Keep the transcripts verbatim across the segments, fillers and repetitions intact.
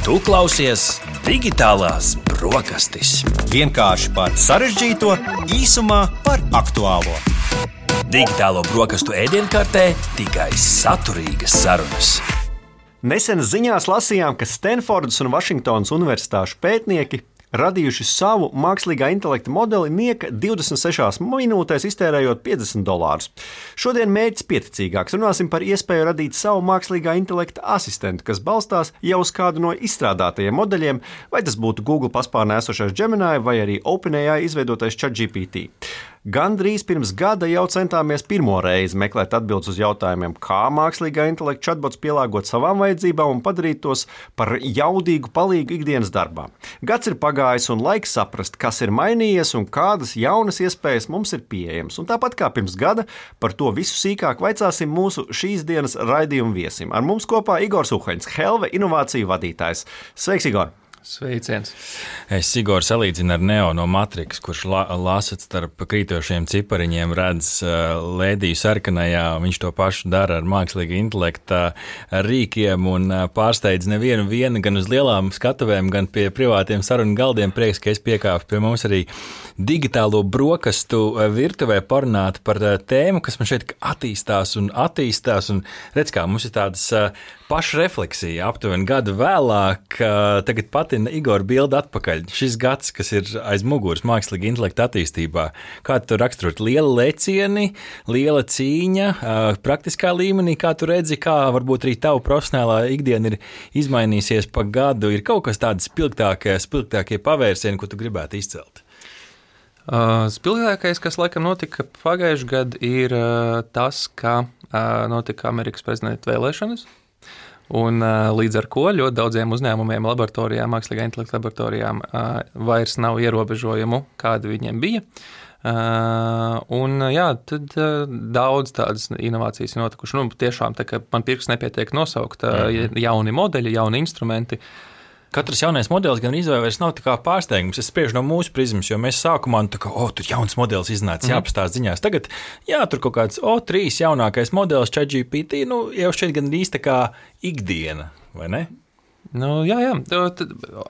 Tu klausies Digitālās brokastis. Vienkārši par sarežģīto, īsumā par aktuālo. Digitālo brokastu ēdienkartē tikai saturīgas sarunas. Nesen ziņās lasījām, ka Stanfordas un Vašingtonas universitāšu pētnieki radījuši savu mākslīgā intelekta modeli nieka divdesmit sešās minūtēs, iztērējot piecdesmit dolārus. Šodien mērķis pieticīgāks. Runāsim par iespēju radīt savu mākslīgā intelekta asistentu, kas balstās jau uz kādu no izstrādātajiem modeļiem, vai tas būtu Google paspārnē esošais Gemini vai arī OpenAI izveidotais ChatGPT. Gandrīz pirms gada jau centāmies pirmo reizi meklēt atbildes uz jautājumiem, kā mākslīgā intelekta chatbots pielāgot savām vajadzībām un padarīt tos par jaudīgu palīgu ikdienas darbā. Gads ir pagājis un laiks saprast, kas ir mainījies un kādas jaunas iespējas mums ir pieejamas. Un tāpat kā pirms gada, par to visu sīkāk vaicāsim mūsu šīs dienas raidījuma viesim. Ar mums kopā Igors Uhaņs, Helve inovāciju vadītājs. Sveiks, Igor! Sveiciens. Es Igor salīdzinu ar Neo no Matrix, kurš la, lasot starp krītošiem cipariņiem, redz uh, lēdiju sarkanajā. Viņš to pašu dara ar mākslīga intelekta rīkiem un uh, pārsteidz nevienu vienu gan uz lielām skatuvēm, gan pie privātiem sarunu galdiem. Prieks, ka es piekāpu pie mums arī digitālo brokastu virtuvē parunāt par uh, tēmu, kas man šeit attīstās un attīstās. Un redz, kā mums ir tādas uh, pašrefleksija aptuveni gadu vēlāk. Uh, tagad pati Igor bildi atpakaļ. Šis gads, kas ir aiz muguras mākslīga intelekta attīstībā, kā tu raksturot? Liela lecieni, liela cīņa, praktiskā līmenī, kā tu redzi, kā varbūt arī tavu profesionālā ikdiena ir izmainīsies pa gadu, ir kaut kas tāds spilgtākie, spilgtākie pavērsieni, ko tu gribētu izcelt? Uh, spilgtākais, kas laikam notika pagājušajā gadā, ir uh, tas, ka uh, notika Amerikas prezidenta vēlēšanas. Un, uh, līdz ar to ļoti daudziem uzņēmumiem, laboratorijām, mākslīgā intelekta laboratorijām uh, vairs nav ierobežojumu, kādi viņiem bija. Uh, un, jā, tad uh, daudz tādas inovācijas ir notikušas. Nu, tiešām tā, ka man pirks nepietiek nosaukt uh, jauni modeļi, jauni instrumenti. Katrs jaunais modelis gan izvēlēs nav tā kā pārsteigums. Es spriežu no mūsu prizmas, jo mēs sākumā tā kā, o, tur jauns modelis iznāca, jāpastāst ziņās. Tagad, jā, tur kaut kāds, o, trīs jaunākais modelis ChatGPT, nu, jau šeit gan īsti tā kā ikdiena, vai ne? Nu, jā, jā,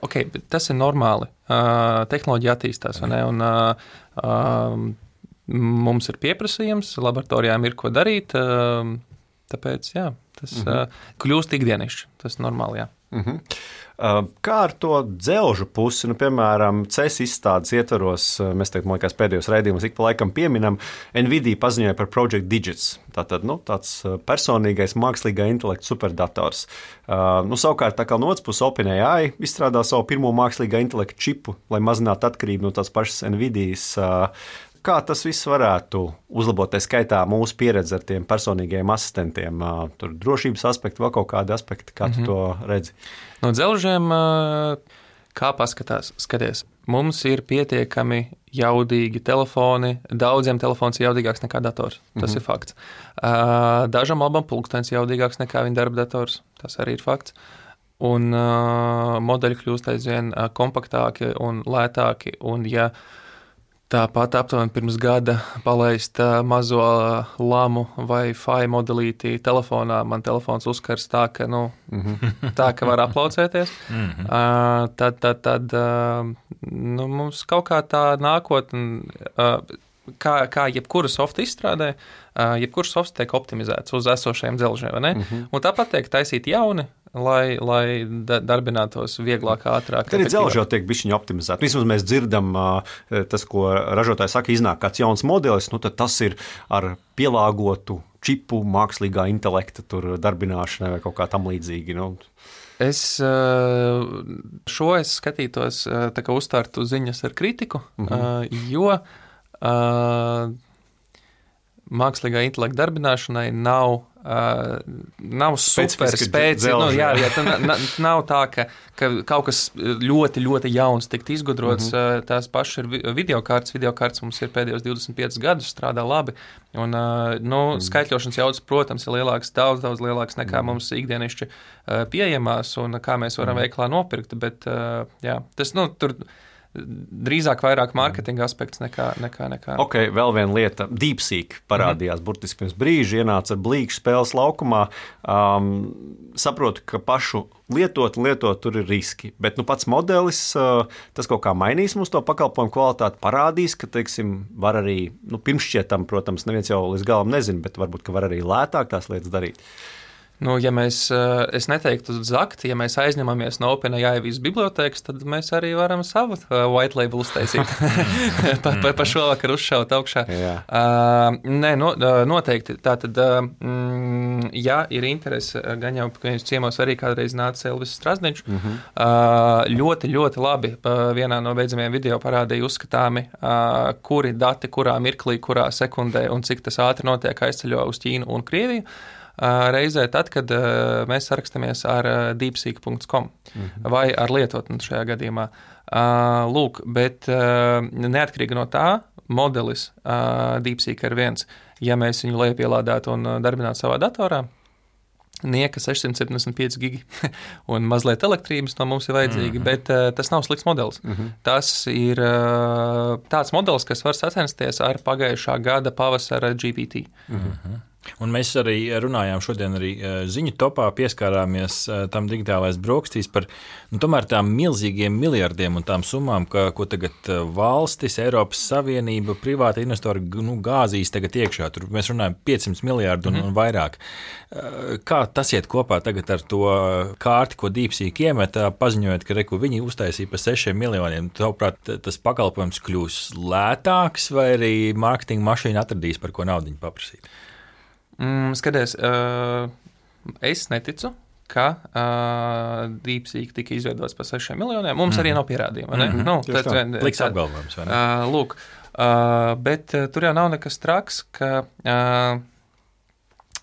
ok, tas ir normāli. Uh, tehnoloģija attīstās, vai ne? Un uh, uh, mums ir pieprasījums, laboratorijām ir ko darīt, uh, tāpēc, jā, tas uh, kļūst ikdienišķi, tas normāli, jā. Mhm. Kā ar to dzelžu pusi, nu, piemēram, C E S izstādes ietvaros, mēs teikt, man liekas, pēdējos raidījumus ik pa laikam pieminam, Nvidia paziņoja par Project Digits, tātad, nu, tāds personīgais mākslīgā intelekta superdators. Uh, nu, savukārt, tā kā no otras puses OpenAI izstrādā savu pirmo mākslīgā intelekta čipu, lai mazinātu atkarību no tās pašas Nvidias. Uh, Kā tas viss varētu uzlabot, tā skaitā mūsu pieredzi ar tiem personīgajiem asistentiem? Tur drošības aspekti, vēl kaut kādi aspekti, kā tu mm-hmm. to redzi? No dzelžiem, kā paskatās, skaties, mums ir pietiekami jaudīgi telefoni, daudziem telefons ir jaudīgāks nekā dators, tas mm-hmm. ir fakts. Dažam labam pulkstenis jaudīgāks nekā viņa darba dators, tas arī ir fakts. Un modeļi kļūst aizvien kompaktāki un lētāki, un ja tāpat aptuveni pirms gada palaist mazo lamu vai Fi modelīti telefonā. Man telefons uzkars tā, ka, nu, mm-hmm. tā, ka var aplaucēties. Mm-hmm. Uh, tad, tad, tad uh, nu, mums kaut kā tā nākotne, uh, kā, kā jebkura softa izstrādē, uh, jebkura softa tiek optimizēts uz esošajiem dzelžiem, vai ne? Mm-hmm. Un tāpat tiek taisīti jauni, lai, lai darbinātos vieglāk, ātrāk. Tad dzelži jau tiek bišķiņi optimizēti. Vismaz mēs dzirdam tas, ko ražotāji saka, iznāk kāds jauns modelis, nu tad tas ir ar pielāgotu čipu mākslīgā intelekta tur darbināšanai vai kaut kā tam līdzīgi. Nu. Es šo es skatītos, tā kā uztārtu ziņas ar kritiku, mm-hmm. jo mākslīgā intelekta darbināšanai nav Uh, nav super spēcīgi. Nu, jā, jā, tā nav tā, ka, ka kaut kas ļoti, ļoti jauns tikt izgudrots. Mm-hmm. Tās pašas ir videokartes. Videokartes mums ir pēdējos divdesmit piecus gadus, strādā labi. Un, uh, nu, mm. skaitļošanas jaudas, protams, ir lielāks, daudz, daudz lielāks nekā mm. mums ikdienišķi uh, pieejamās un kā mēs varam mm. veiklā nopirkt. Bet, uh, jā, tas, nu, tur drīzāk vairāk mārketinga aspekts nekā, nekā, nekā. Ok, vēl viena lieta. DeepSeek parādījās mm-hmm. burtiski pirms brīža, ienāca ar blīkšu spēles laukumā. Um, saprotu, ka pašu lietot un lietot tur ir riski, bet nu, pats modelis, uh, tas kaut kā mainīs mums to pakalpojumu kvalitāti, parādīs, ka, teiksim, var arī, nu, pirmšķietam, protams, neviens jau līdz galam nezina, bet varbūt, ka var arī lētāk tās lietas darīt. Nu, ja mēs, es neteiktu zakt, ja mēs aizņemamies no OpenAI visas bibliotēkas, tad mēs arī varam savu white label uztaisīt. pa, pa, pa šovakar uzšaut augšā. Uh, nē, no, noteikti. Tātad, mm, ja ir interese, gan jau, ka jūs ciemos arī kādreiz nāca Elvis Strazdniņš, uh-huh. uh, ļoti, ļoti labi vienā no beidzamajiem video parādīja uzskatāmi, uh, kuri dati, kurā mirklī, kurā sekundē un cik tas ātri notiek aizceļo uz Ķīnu un Krieviju. Reizē tad, kad uh, mēs sarakstamies ar uh, deepseek punkts com mm-hmm. vai ar lietotni šajā gadījumā. Uh, lūk, bet uh, neatkarīgi no tā, modelis uh, DeepSeek ir viens. Ja mēs viņu lejupielādētu un darbinātu savā datorā, nieka sešsimt septiņdesmit pieci gigi un mazliet elektrības no mums ir vajadzīgi, mm-hmm. bet uh, tas nav slikts modelis. Mm-hmm. Tas ir uh, tāds modelis, kas var sacensties ar pagājušā gada pavasara G P T. Mm-hmm. Un mēs arī runājām šodien arī ziņu topā, pieskārāmies tam digitālais brokastīs par nu, tomēr tām milzīgiem miljardiem un tām summām, ka, ko tagad valstis, Eiropas Savienība, privāti investori nu, gāzīs tagad iekšā. Tur mēs runājam piecsimt miljārdu un, mm-hmm. un vairāk. Kā tas iet kopā tagad ar to kārti, ko DeepSeek iemeta, paziņojot, ka reku, viņi uztaisīja pa sešiem miljoniem. Tavuprāt, tas pakalpojums kļūs lētāks vai arī mārketinga mašīna atradīs, par ko naudiņu paprasīt? Mm, skaties, uh, es neticu, ka uh, DeepSeek tika izveidots par sešiem miljoniem. Mums mm-hmm. arī nav pierādījuma. Mm-hmm. Nu, tad, Pliks apgalvojums, vai ne? Uh, lūk, uh, bet uh, tur jau nav nekas traks, ka uh,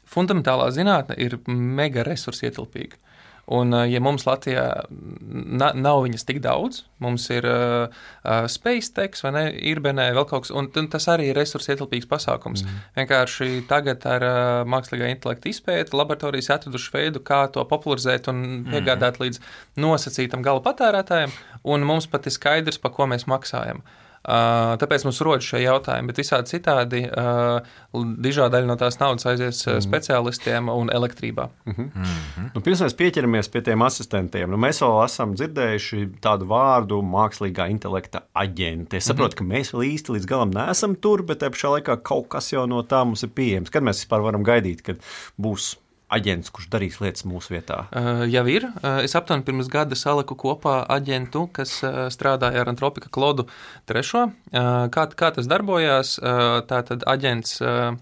fundamentālā zinātne ir mega resursi ietilpīga. Un, ja mums Latvijā na, nav viņas tik daudz, mums ir uh, uh, SpaceX vai ne, Irbenē vēl kaut kas, un tas arī ir resursi ietilpīgs pasākums. Mm. Vienkārši tagad ar uh, mākslīgā intelekta izpēti laboratorijas atraduši veidu, kā to popularizēt un piegādāt mm. līdz nosacītam gala patērētājiem, un mums pat ir skaidrs, pa ko mēs maksājam. Uh, tāpēc mums rodas šie jautājumi, bet visādi citādi uh, dižā daļa no tās naudas aizies mm. speciālistiem un elektrībā. Mm-hmm. Mm-hmm. Nu, pirms mēs pieķeramies pie tiem asistentiem, nu, mēs vēl esam dzirdējuši tādu vārdu mākslīgā intelekta aģenti. Es saprotu, mm-hmm. ka mēs vēl īsti līdz galam neesam tur, bet te pašā laikā kaut kas jau no tā mums ir pieejams. Kad mēs vispār varam gaidīt, kad būs aģents, kurš darīs lietas mūsu vietā? Uh, jau ir. Uh, es aptuveni pirms gada saliku kopā aģentu, kas uh, strādāja ar Antropika Klodu trešo. Uh, kā, kā tas darbojās? Uh, tātad aģents uh,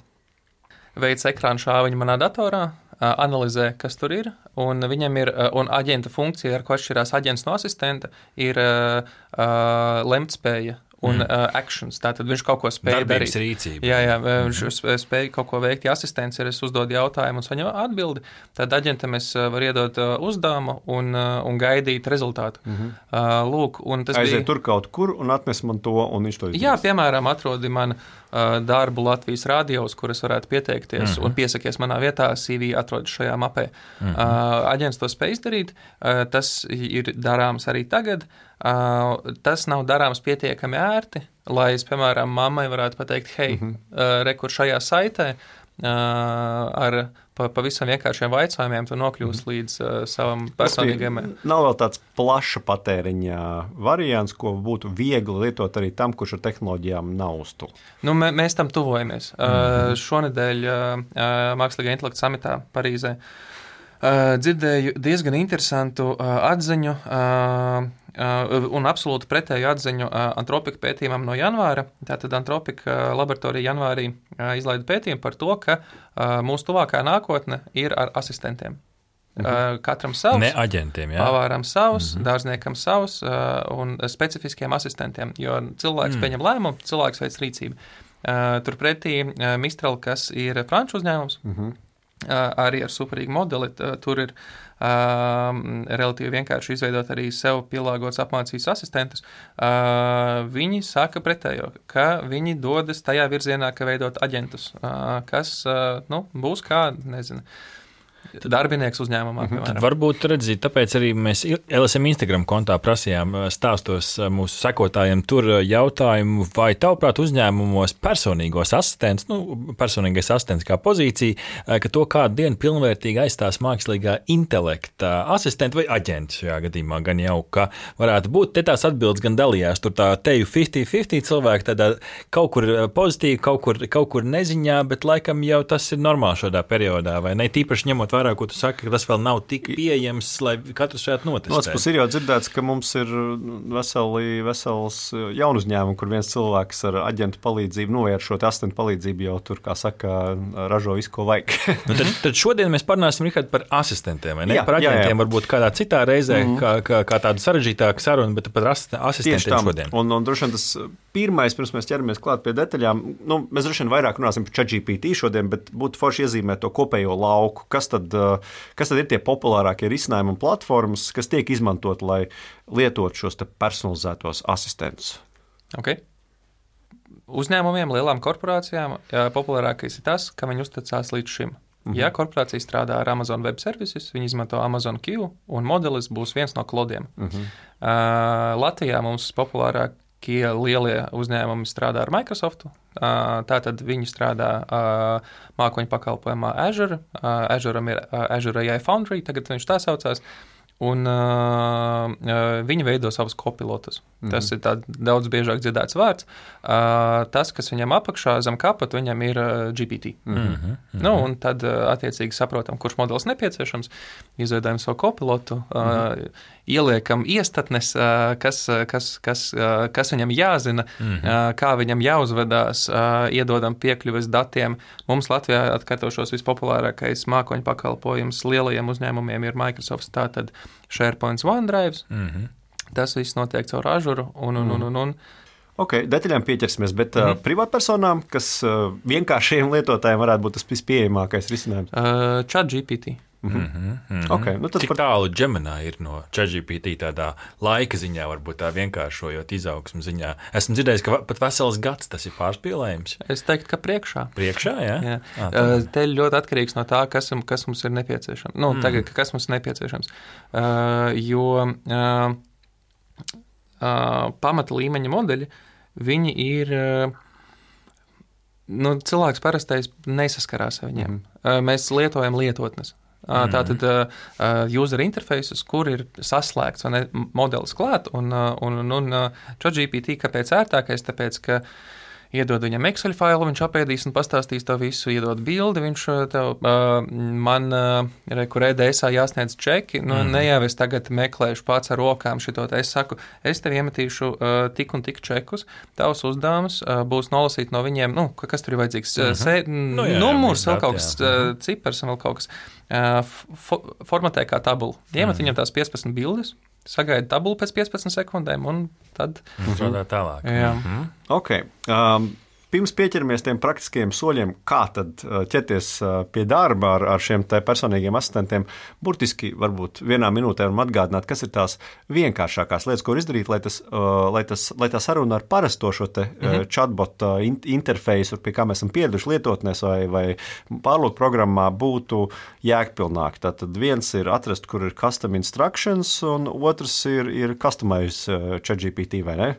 veic ekrānu šāviņu manā datorā, uh, analizē, kas tur ir, un viņam ir, uh, un aģenta funkcija, ar ko atšķirās aģents no asistenta, ir uh, uh, lemtspēja. Un mm. uh, actions, tātad viņš kaut ko spēja Darbības darīt. Rīcība. Jā, jā, viņš mm. spēja kaut ko veikt. Ja asistents ir, es uzdodu jautājumu un saņemu atbildi, tad aģentam es varu iedot uh, uzdevumu un, uh, un gaidīt rezultātu. Mm-hmm. Uh, lūk, un tas Aiziet bija... tur kaut kur un atnes man to, un viņš to izdarīs. Jā, piemēram, atrodi man uh, darbu Latvijas radios, kur es varētu pieteikties mm-hmm. un piesakies manā vietā, C V atrodas šajā mapē. Mm-hmm. Uh, aģents to spēj izdarīt, uh, tas ir darāms arī tagad. Uh, tas nav darāms pietiekami ērti, lai es, piemēram, mammai varētu pateikt, hei, mm-hmm. uh, rekur šajā saitē uh, ar pa, pavisam vienkāršiem vaicājumiem tu nokļūst mm-hmm. līdz uh, savam personīgiem. Nav vēl tāds plaša patēriņa variants, ko būtu viegli lietot arī tam, kurš ar tehnoloģijām nav uz to. Nu, mē, mēs tam tuvojamies. Mm-hmm. Uh, šonedēļ uh, mākslīgā intelekta samitā Parīzē uh, dzirdēju diezgan interesantu uh, atziņu, uh, Uh, un absolūti pretēju atziņu uh, Antropika pētījumam no janvāra. Tātad Antropika laboratorija janvārī uh, izlaida pētījumu par to, ka uh, mūsu tuvākā nākotne ir ar asistentiem. Mm-hmm. Uh, katram savs. Ne aģentiem, jā. Pavāram savs, mm-hmm. dārzniekam savs uh, un specifiskiem asistentiem, jo cilvēks mm. pieņem lēmumu, cilvēks veic rīcību. Uh, turpretī uh, Mistral, kas ir franču uzņēmums, mm-hmm. uh, arī ar superīgu modeli, uh, tur ir Uh, relatīvi vienkārši izveidot arī sev pielāgots apmācības asistentus. Uh, viņi saka pretējo, ka viņi dodas tajā virzienā, ka veidot aģentus, uh, kas uh, nu, būs kā, nezinu, darbinieks uzņēmumā. Mhm. Tad varbūt redzīt, tāpēc arī mēs L S M Instagram kontā prasījām stāstos mūsu sekotājiem tur jautājumu, vai tavuprāt uzņēmumos personīgos asistents, nu, personīgais asistents kā pozīcija, ka to kādu dienu pilnvērtīgi aizstās mākslīgā intelekta asistenti vai aģenti šajā gadījumā, gan jau, ka varētu būt. Te tās atbildes gan dalījās, tur tā teju piecdesmit piecdesmit cilvēki tādā kaut kur pozitīvi, kaut kur, kaut kur neziņā, bet laikam jau tas ir normāli šādā periodā, vai ne? Tīpaši ņemot vērā, ko tu saki, ka tas vēl nav tik pieejams, lai katrs šeit notestētu. Otrs puses ir jau dzirdēts, ka mums ir veseli, vesels jaunu uzņēmumu, kur viens cilvēks ar aģentu palīdzību, nu, ar šo asistentu palīdzību jau tur, kā saka, ražo visu, ko vajag. Nu, tad, tad šodien mēs parunāsim, Rihard, par asistentiem, vai ne? Jā, par aģentiem jā, jā. varbūt kādā citā reizē, mm. kā, kā, kā tādu sarežģītāku sarunu, bet par asistentiem šodien. Un, un droši vien tas pirmais, pirms mēs ķeramies klāt pie detaļām, nu, mēs droši vien vairāk runāsim par ChatGPT šodien, bet būtu forši iezīmēt to kopējo lauku. Kas tad, kas tad ir tie populārākie risinājumi un platformas, kas tiek izmantot, lai lietotu šos te personalizētos asistentus? Okay. Uzņēmumiem, lielām korporācijām populārākais ir tas, ka viņi uzticās līdz šim. Mm-hmm. Ja korporācija strādā ar Amazon Web Services, viņi izmanto Amazon Q, un modelis būs viens no klodiem. Mm-hmm. Uh, Latvijā mums populārākie lielie uzņēmumi strādā ar Microsoftu. Uh, tātad viņi strādā uh, mākoņu pakalpojumā Azure. Uh, Azuream ir uh, Azure A I Foundry, tagad viņš tā saucās. Un uh, viņi veido savus kopilotus. Mm-hmm. Tas ir tāds daudz biežāk dzirdēts vārds. Uh, tas, kas viņam apakšā zem kapata, viņam ir uh, G P T. Mm-hmm. Nu, un tad uh, attiecīgi saprotam, kurš modelis nepieciešams, izveidojam savu kopilotu, mm-hmm. uh, ieliekam iestatnes, uh, kas, kas, kas, uh, kas viņam jāzina, mm-hmm. uh, kā viņam jāuzvedās, uh, iedodam piekļuves datiem. Mums Latvijā atkārtošos vispopulārākais mākoņu pakalpojums lielajiem uzņēmumiem ir Microsoft, tātad SharePoint, OneDrive. Mm-hmm. Tas viss notiek caur Azure un, un, un, un, un. Ok, detaļām pieķersimies, bet mm-hmm. uh, privātpersonām, kas uh, vienkāršiem lietotājiem varētu būt tas vispieejamākais risinājums? Uh, ChatGPT. Mm-hmm. Mm-hmm. Okay, nu Cik par... tālu Gemini ir no ChatGPT tādā laika ziņā, varbūt tā vienkāršojot izaugsmu ziņā? Esmu dzirdējis, ka pat vesels gads tas ir pārspīlējums. Es teiktu, ka priekšā. Priekšā, jā? jā. Uh, te ļoti atkarīgs no tā, kas, kas mums ir nepieciešams. Nu, mm. tagad, kas mums ir nepieciešams. Uh, jo uh, uh, pamata līmeņa modeļi, viņi ir... Uh, nu, cilvēks parastais nesaskarās ar viņiem. Mm. Uh, mēs lietojam lietotnes. Mm. Tātad uh, user interfaces, kur ir saslēgts ne, modelis klāt, un, un, un, un ChatGPT, kāpēc ērtākais, tāpēc, ka iedod viņam Excel failu, viņš apēdīs un pastāstīs to visu, iedod bildi, viņš tev, uh, man, uh, re, kur E D S-ā jāsniedz čeki, nu, mm. ne jau es tagad meklēšu pats ar rokām šito, es saku, es tev iemetīšu uh, tik un tik čekus, tavs uzdevums uh, būs nolasīt no viņiem, nu, kas tur ir vajadzīgs, mm-hmm. Se, nu, jā, numurs, vēl kaut kas, uh, cipars un vēl kaut kas, uh, fo- formatē kā tabulu, iemet mm. viņam tās piecpadsmit bildes, sagaida tabulu pēc piecpadsmit sekundēm un tad... Strādā tālāk. Jā. Mm-hmm. Ok. Um, pirms pieķeramies tiem praktiskajiem soļiem, kā tad ķerties pie darba ar, ar šiem te personīgiem asistentiem, burtiski varbūt vienā minūtē varam atgādināt, kas ir tās vienkāršākās lietas, ko izdarīt, lai, tas, lai, tas, lai tā saruna ar parasto šo te mm-hmm. chatbot interfeisu, pie kā mēs esam pieraduši lietotnēs vai, vai pārlūk programmā, būtu jēgpilnāk. Tātad viens ir atrast, kur ir custom instructions, un otrs ir, ir customize ChatGPT, vai ne?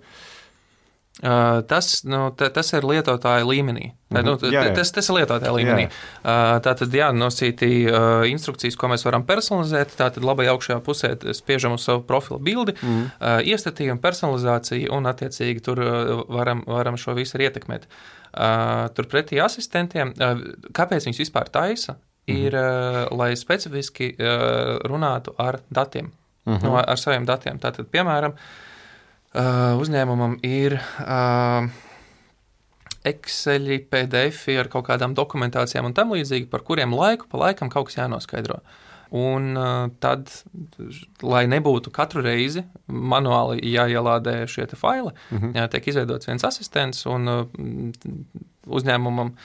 Uh, tas, nu, t- tas ir lietotāja līmenī. Mm-hmm. Nu, t- jā, jā. Tas, tas ir lietotāja līmenī. Uh, tātad, jā, nosītī uh, instrukcijas, ko mēs varam personalizēt. Tātad labai augšējā pusē spiežam uz savu profilu bildi, mm-hmm. uh, iestatījam personalizāciju un attiecīgi tur uh, varam, varam šo visu arī ietekmēt. Uh, turpretī asistentiem, uh, kāpēc viņus vispār taisa, mm-hmm. ir, uh, lai specifiski uh, runātu ar datiem, mm-hmm. no, ar saviem datiem. Tātad, piemēram, Uh, uzņēmumam ir uh, Exceli, P D F ar kaut kādām dokumentācijām un tam līdzīgi, par kuriem laiku pa laikam kaut kas jānoskaidro. Un uh, tad, lai nebūtu katru reizi manuāli jāielādē šie te faili, mm-hmm. jā, tiek izveidots viens asistents un uh, uzņēmumam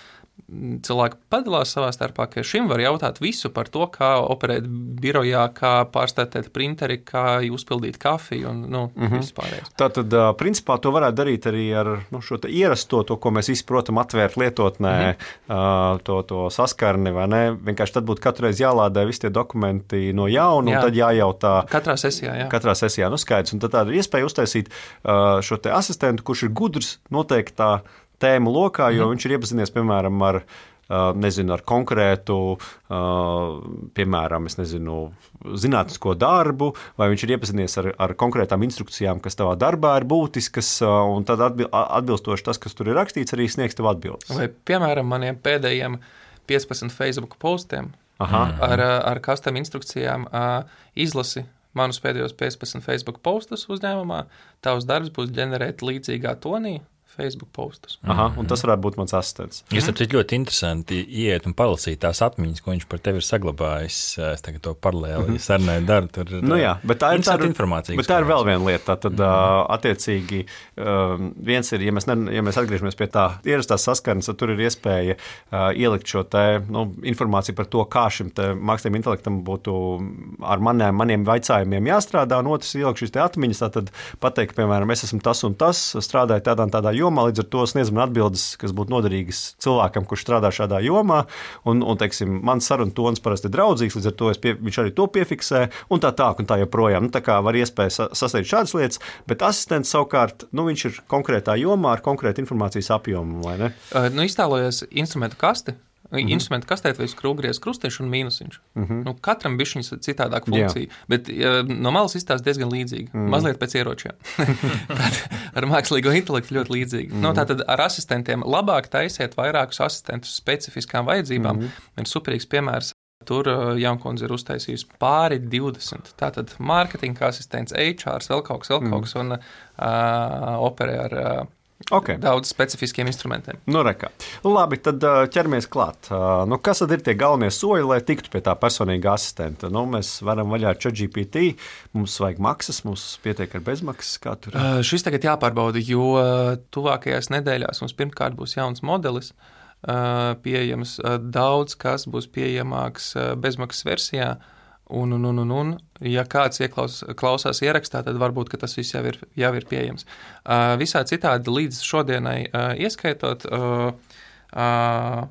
cilvēki padalās savā starpā, ka šim var jautāt visu par to, kā operēt birojā, kā pārstātēt printeri, kā uzpildīt kafiju un nu, mm-hmm. vispārējais. Tātad, principā, to varētu darīt arī ar nu, šo ierasto, to, ko mēs visi, protam, atvērt lietotnē, mm-hmm. to, to saskarni, vai ne? Vienkārši tad būtu katru reizi jālādē visi tie dokumenti no jauna, jā. Un tad jājautā. Katrā sesijā, jā. Katrā sesijā, nu skaidrs. Un tad tāda iespēja uztaisīt šo te asistentu, kurš ir gudrs noteiktā tēmu lokā, jo mm. viņš ir iepazinies, piemēram, ar, nezinu, ar konkrētu, piemēram, es nezinu, zinātnisko darbu, vai viņš ir iepazinies ar, ar konkrētām instrukcijām, kas tavā darbā ir būtiskas, un tad atbilstoši tas, kas tur ir rakstīts, arī sniegs tev atbildes. Vai, piemēram, maniem pēdējiem piecpadsmit Facebook postiem Aha. ar, ar custom instrukcijām izlasi manus pēdējos piecpadsmit Facebook postus uzņēmumā, tavs darbs būs ģenerēt līdzīgā tonī, Facebook postus. Aha, un tas varētu būt mans asistents. Jūs mm. tāpēc ļoti interesanti iet un palasīt tās atmiņas, ko viņš par tevi ir saglabājis. Es tagad to paralēli mm. sarunāju daru. Tur nu jā, bet tā ir, tā ir, informācija. Bet tā ir vēl viena lieta. Tad mm. attiecīgi viens ir, ja mēs, ne, ja mēs atgriežamies pie tā ierastās saskarnes, tad tur ir iespēja ielikt šo te, nu, informāciju par to, kā šim te mākslīgam intelektam būtu ar maniem, maniem vaicājumiem jāstrādā, un otrs ielikt šīs te atmiņas, tātad pateikt, piemēram, es esmu tas un tas, strādāju tādā un tādā jomā, līdz ar to sniedz man atbildes, kas būtu noderīgas cilvēkam, kurš strādā šādā jomā, un, un teiksim, mans saruna tons parasti ir draudzīgs, līdz ar to pie, viņš arī to piefiksē, un tā tā, un tā joprojām. Nu, tā kā var iespēja sasniegt šādas lietas, bet asistents savukārt, nu, viņš ir konkrētā jomā ar konkrētu informācijas apjomu, vai ne? Uh, nu, iztēlojies instrumentu kasti, Mm-hmm. instrumentu kastēt vai skrūvgriez krustiņš un mīnusiņš. Mm-hmm. Nu, katram bišķiņas citādāk funkcija, Jā. Bet ja, no malas izstāsta diezgan līdzīgi. Mm-hmm. Mazliet pēc ieročiem. Tad ar mākslīgo intelektu ļoti līdzīgi. Mm-hmm. Nu, tātad ar asistentiem labāk taisiet vairākus asistentus specifiskām vajadzībām. Mm-hmm. Ir superīgs piemērs. Tur Jankundze ir uztaisījusi pāri divdesmit. Tātad mārketinga asistents, H R, vēl kaut kas, vēl kaut kas un uh, operē ar uh, Okay. Daudz specifiskiem instrumentiem. Nu, rekā. Labi, tad ķeramies klāt. Nu, kas tad ir tie galvenie soļi, lai tiktu pie tā personīga asistenta? Nu, mēs varam vaļā ar ChatGPT, mums vajag maksas, mums pietiek ar bezmaksas. Kā tur? Uh, šis tagad jāpārbauda, jo tuvākajās nedēļās mums pirmkārt būs jauns modelis uh, pieejams. Uh, daudz kas būs pieejamāks uh, bezmaksas versijā. Un, un, un, un, un, ja kāds ieklaus, klausās ierakstā, tad varbūt, ka tas viss jau ir, jau ir pieejams. Uh, visā citādi līdz šodienai uh, ieskaitot, uh, uh,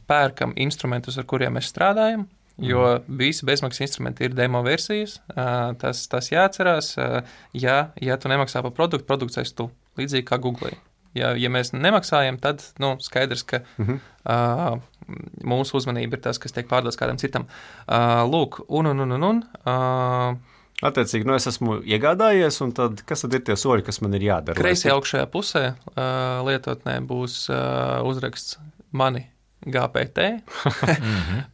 pērkam instrumentus, ar kuriem mēs strādājam, jo visi bezmaksas instrumenti ir demo versijas. Uh, tas, tas jāatcerās, uh, ja, ja tu nemaksā par produktu, produkts aiz tu, līdzīgi kā Google. Ja, ja mēs nemaksājam, tad nu, skaidrs, ka mm-hmm. uh, mūsu uzmanība ir tas, kas tiek pārdots kādam citam. Uh, lūk, un, un, un, un, un uh, Attiecīgi, nu es esmu iegādājies, un tad kas tad ir tie soļi, kas man ir jādara? Kreisajā augšējā pusē uh, lietotnē būs uh, uzraksts mani G P T,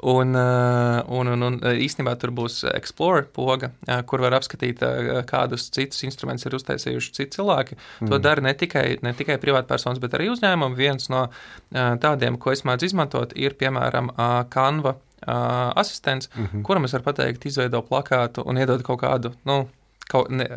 un, un, un, un īstenībā tur būs Explore poga, kur var apskatīt, kādus citus instrumentus ir uztaisījuši citi cilvēki. Mm. To dara ne tikai, ne tikai privātpersonas, bet arī uzņēmumi. Viens no tādiem, ko es mēdzu izmantot, ir, piemēram, Canva asistents, mm-hmm. kuram es varu pateikt, izveido plakātu un iedod kaut kādu, nu, kaut, ne,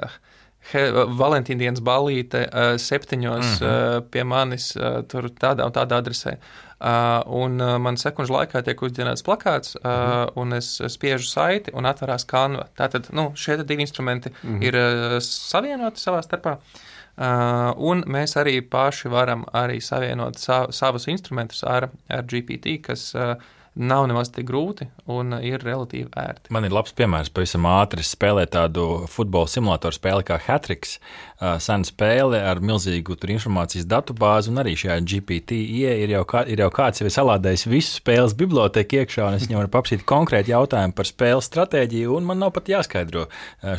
he, Valentīna dienas ballīte septiņos mm-hmm. pie manis tur tādā un tādā adresē. Uh, un uh, man sekundžu laikā tiek uzģenerēts plakāts, uh, mm-hmm. un es spiežu saiti un atverās Canva. Tātad, nu, šie divi instrumenti mm-hmm. ir uh, savienoti savā starpā, uh, un mēs arī paši varam arī savienot sa- savus instrumentus ar, ar G P T, kas uh, nav nemaz tik grūti un ir relatīvi ērti. Man ir labs piemērs, pavisam ātri spēlēt tādu futbola simulātoru spēli kā Hatrix, sena spēle ar milzīgu tur informācijas datubāzi, un arī šajā G P T ir jau, kā, ir jau kāds jau salādējis visu spēles bibliotēku iekšā, un es viņam varu paprasīt konkrēti jautājumu par spēles stratēģiju, un man nav pat jāskaidro.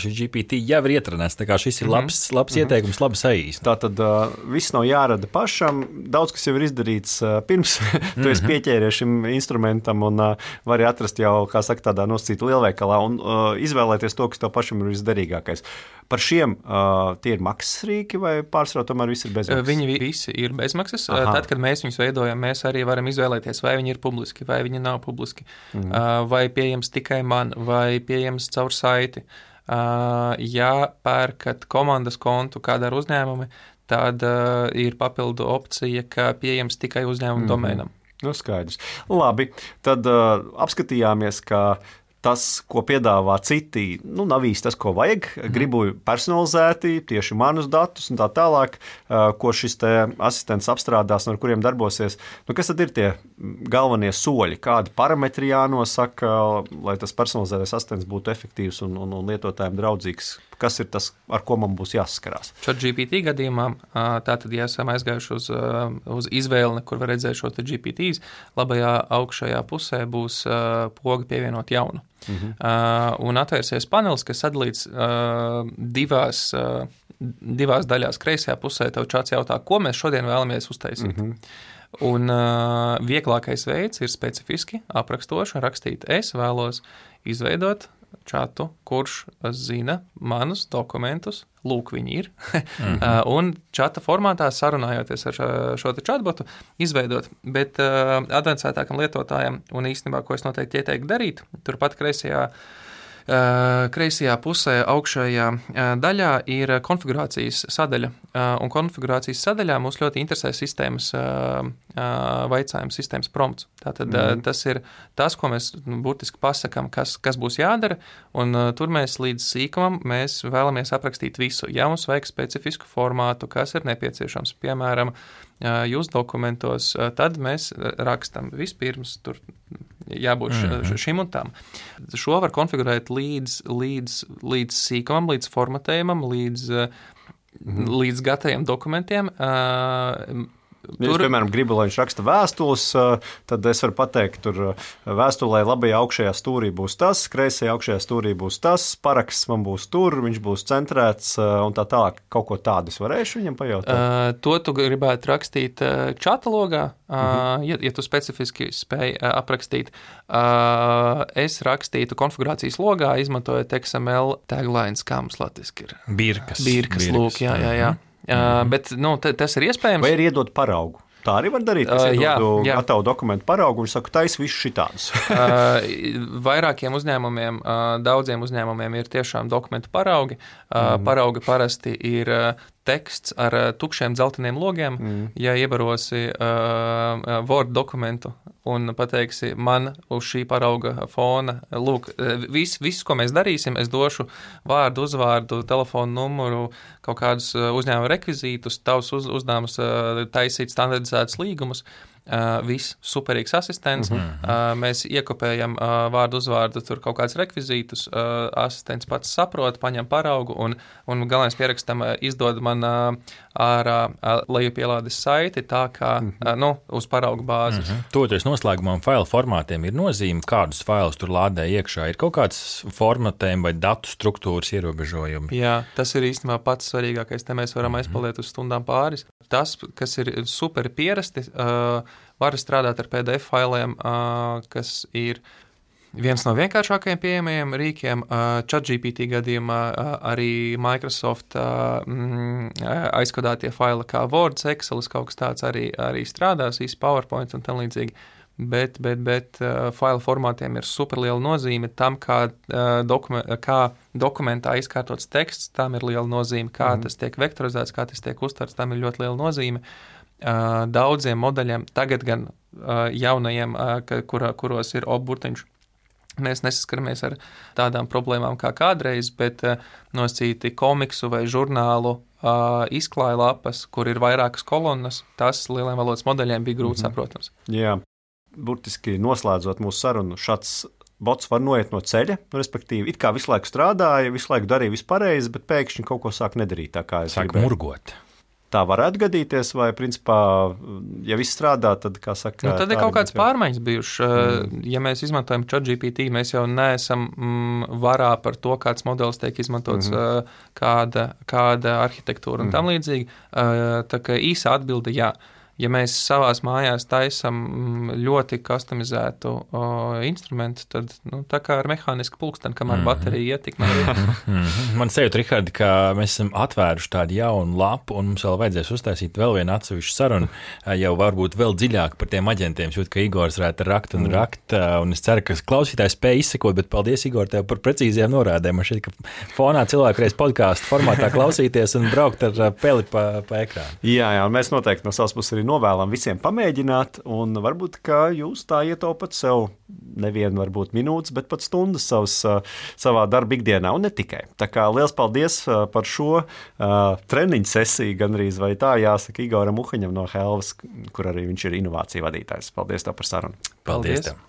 Šis G P T jau ir ietrenēts, tā kā šis ir labs, labs mm-hmm. ieteikums, labi saīsnīts. Tātad uh, viss nav jārada pašam, daudz kas jau ir izdarīts uh, pirms tu mm-hmm. esi pieķēries šim instrumentam, un uh, vari atrast jau, kā saka, tādā nosacīta lielveikalā un uh, izvēlēties to, kas tev pašam ir visderīgākais. Par šiem uh, tie ir maksas rīki vai pārsvarā tomēr visi ir bezmaksas? Viņi visi ir bezmaksas. Aha. Tad, kad mēs viņus veidojam, mēs arī varam izvēlēties, vai viņi ir publiski, vai viņi nav publiski, mm. uh, vai pieejams tikai man, vai pieejams caur saiti. Uh, ja pērkat komandas kontu kādā ar uzņēmumi, tad uh, ir papildu opcija, ka pieejams tikai uzņēmuma mm-hmm. domēnam. Nu, skaidrs. Labi, tad uh, apskatījāmies, ka tas, ko piedāvā citi, nu, nav īsti tas, ko vajag. Gribu personalizēti, tieši manus datus un tā tālāk, ko šis te asistents apstrādās un ar kuriem darbosies. Nu, kas tad ir tie galvenie soļi? Kādi parametri jānosaka, lai tas personalizētais asistents būtu efektīvs un, un, un lietotājiem draudzīgs? Kas ir tas, ar ko man būs jāsaskarās? ChatGPT gadījumā, tātad, ja esam aizgājuši uz, uz izvēli, kur var redzēt šo G P Ts, labajā augšējā pusē būs poga pievienot jaunu. Mhm. Uh, un atvērsies panelis, kas sadalīts uh, divās, uh, divās daļās. Kreisajā pusē tev čats jautā, ko mēs šodien vēlamies uztaisīt. Mhm. Un uh, vieglākais veids ir specifiski aprakstoši rakstīt, es vēlos izveidot čatu, kurš zina manus dokumentus, lūk, viņi ir, mm-hmm. un čata formātā sarunājoties ar šo, šo te chatbotu izveidot, bet uh, advancētākam lietotājam, un īstenībā, ko es noteikti ieteiktu darīt, turpat kreisajā Uh, kreisajā pusē augšējā uh, daļā ir konfigurācijas sadaļa, uh, un konfigurācijas sadaļā mūs ļoti interesē sistēmas uh, uh, vaicājums, sistēmas prompts. Tātad mm. uh, tas ir tas, ko mēs nu, burtiski pasakām, kas, kas būs jādara, un uh, tur mēs līdz sīkumam mēs vēlamies aprakstīt visu. Ja mums vajag specifisku formātu, kas ir nepieciešams, piemēram, uh, jūs dokumentos, uh, tad mēs rakstam vispirms tur jābūt mm-hmm. šim un tam. Šo var konfigurēt līdz, līdz, līdz sīkumam, līdz formatējumam, līdz, mm-hmm. līdz gataviem dokumentiem. Uh, Ja es, piemēram, gribu, lai viņš raksta vēstules, tad es varu pateikt, tur vēstulē labajā augšējā stūrī būs tas, kreisajā augšējā stūrī būs tas, paraksts man būs tur, viņš būs centrēts un tā tālāk. Kaut ko tādu es varēšu viņam pajautāt? Uh, to tu gribētu rakstīt čata logā, uh, uh-huh. ja, ja tu specifiski spēj uh, aprakstīt. Uh, es rakstītu konfigurācijas logā, izmantojot X M L taglines, kā mums latviski ir. Birkas. Birkas, lūk, jā, jā, jā. Uh, bet nu, t- tas ir iespējams. Vai ir iedot paraugu? Tā arī var darīt. Es uh, iedodu jā, jā. gatavu dokumentu paraugu un saku, tais visu šitādus. uh, vairākiem uzņēmumiem, uh, daudziem uzņēmumiem ir tiešām dokumentu paraugi. Uh, mm. Paraugi parasti ir uh, teksts ar uh, tukšiem dzelteniem logiem. Mm. Ja ievarosi uh, Word dokumentu un pateiksi man uz šī parauga fona, lūk, viss, vis, ko mēs darīsim, es došu vārdu, uzvārdu, telefonu numuru, kaut kādus uzņēmuma rekvizītus, tavs uz, uzdevums taisīt standardizētus līgumus. Uh, viss superīgs asistents, mm-hmm. uh, mēs iekopējam uh, vārdu uzvārdu, tur kaut kāds rekvizītus, uh, asistents pats saprot, paņem paraugu un, un galvenais pierakstam uh, izdod man uh, ārā uh, lejupielādes saiti tā kā, mm-hmm. uh, nu, uz paraugu bāzes. Mm-hmm. Toties noslēgumā failu formātiem ir nozīme, kādus failus tur lādē iekšā. Ir kaut kāds formatējumi vai datu struktūras ierobežojumi? Jā, tas ir īstenībā pats svarīgākais, te mēs varam mm-hmm. aizpaliet uz stundām pāris. Tas, kas ir super pierasti, uh, var strādāt ar P D F failiem, uh, kas ir viens no vienkāršākajiem pieejamajiem rīkiem. Uh, ChatGPT gadījumā uh, arī Microsoft uh, mm, aizkodētie faili kā Word, Excel, kaut kas tāds arī, arī strādās, īsti PowerPoint un tam līdzīgi. Bet, bet, bet uh, failu formātiem ir superliela nozīme tam, kā, uh, dokumen, kā dokumentā izkārtots teksts, tam ir liela nozīme, kā mm. tas tiek vektorizēts, kā tas tiek uztverts, tam ir ļoti liela nozīme. Uh, daudziem modeļiem, tagad gan uh, jaunajiem, uh, kur, kuros ir obburtiņš, mēs nesaskaramies ar tādām problēmām kā kādreiz, bet uh, nosīti komiksu vai žurnālu uh, izklāja lapas, kur ir vairākas kolonnas, tas lieliem valodas modeļiem bija grūti mm-hmm. saprotams. Jā. Burtiski noslēdzot mūsu sarunu, šāds bots var noiet no ceļa, respektīvi, it kā visu laiku strādāja, visu laiku darīja visu pareizi, bet pēkšņi kaut ko sāk nedarīt tā, kā es sāk gribēju. Murgot. Tā varētu gadīties, vai, principā, ja viss strādā, tad, kā saka... Nu, tad ir kaut kāds pārmaiņas bijuši. Mm. Ja mēs izmantojam ChatGPT, mēs jau neesam mm, varā par to, kāds modelis tiek izmantots, mm-hmm. kāda, kāda arhitektūra un mm. tam līdzīgi. Tā kā īsa atbilde, jā. ja mēs savās mājās taisam ļoti customizētu o, instrumentu, tad nu, tā kā ar mehānisku pulksteni, kamēr mm-hmm. baterija ietik. Mm-hmm. Man sajūt, Rihardi, ka mēs esam atvēruši tādu jaunu lapu, un mums vēl vajadzēs uztaisīt vēl vienu atsevišķu sarunu, jau varbūt vēl dziļāk par tiem aģentiem. Jūt, ka Igors varētu rakt un rakt, un es ceru, ka klausītājs spēj izsekot, bet paldies, Igor, tev par precīzajām norādēm. Man šķiet, ka fonā cilvēku reiz podcastu formātā klausīties un braukt ar peli pa, pa ekrānu. Jā, jā, un mēs noteikti no savas puses arī novēlam visiem pamēģināt, un varbūt, ka jūs tā ietaupat sev nevienu, varbūt minūtes, bet pat stundas savas, savā darba ikdienā, un ne tikai. Tā kā liels paldies par šo uh, treniņu sesiju, gandrīz vai tā jāsaka Igoram Uhaņam no Helvas, kur arī viņš ir inovāciju vadītājs. Paldies tev par sarunu. Paldies tev.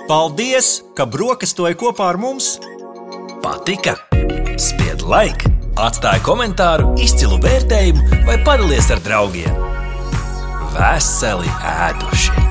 Paldies, ka brokastoji kopā ar mums. Patika? Spied like, atstāj komentāru, izcilu vērtējumu vai padalies ar draugiem. Veseli ēduši!